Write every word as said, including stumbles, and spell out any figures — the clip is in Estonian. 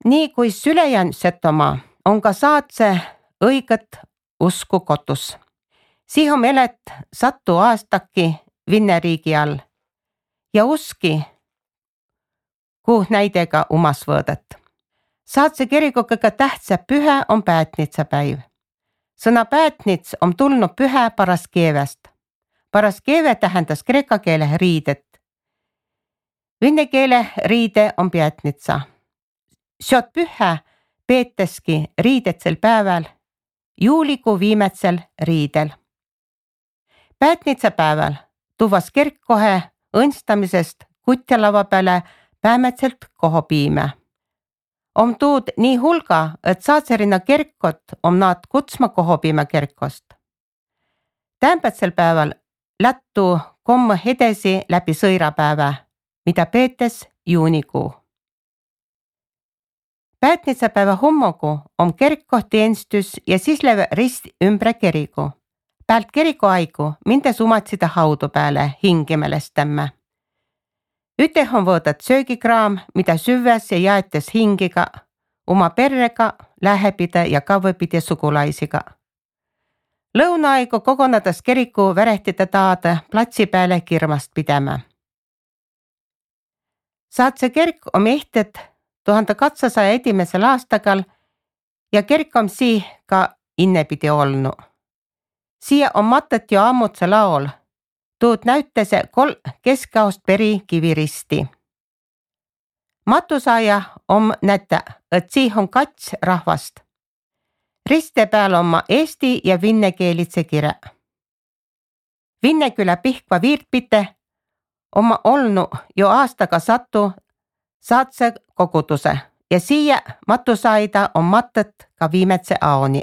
Nii kui Sülejän Setomaa on ka saatse õiget usku kotus. Siihen elet sattu aastakki Vinneriigi all ja uski, kuh näidega umas võõdet. Saatse kiriku kõige tähtsä pühä on päätnitsapäiv. Sõna päätnits on tulnud pühä paras keeväst. Paras keeve tähendas kreeka keele riidet. Vene keele riide on päätnitsa. Seot pühä peeteski riidetsel päeval, juulikuu viimetsel riidel. Päätnitsapäeval tuvas kirk kohe õnstamisest kutjalava peale päämetselt koho piime. Om tuud nii hulga, et saatserina kirkot om naad kutsma koho piime kirkost. Tämpätsel päeval lättu komme edesi läbi sõirapäeva, mida peetes juunikuu. Päätnitsapäeva hommogu on kirkkohtienstus ja siis leve rist ümbre kirigu. Päält kiriku aigu mindes umatsida haudu peale hingimälestämme. Üteh on võõdat söögikraam, mida süvväs ja jaetes hingiga, oma perrega, lähepide ja kavvepide sugulaisiga. Lõunaaigu kogonades kiriku värehtide taada platsi peale kirmast pidäma. Saatse kirk on ehted tuhande kahdesaja esimesel aastagal ja kirk on sii ka innepidi olnu. Siia on matet jo ammutse laol. Tuud näyttäse kol keskaost peri kiviristi. Matusaaja on nätä, et sii on kats rahvast. Riste peal on ma eesti ja vinne keelitse kire. Vinnekülä Pihkva viirtpite on ma olnu jo aastaga sattu saatse koguduse ja siia matusaida on matet ka viimetse aoni.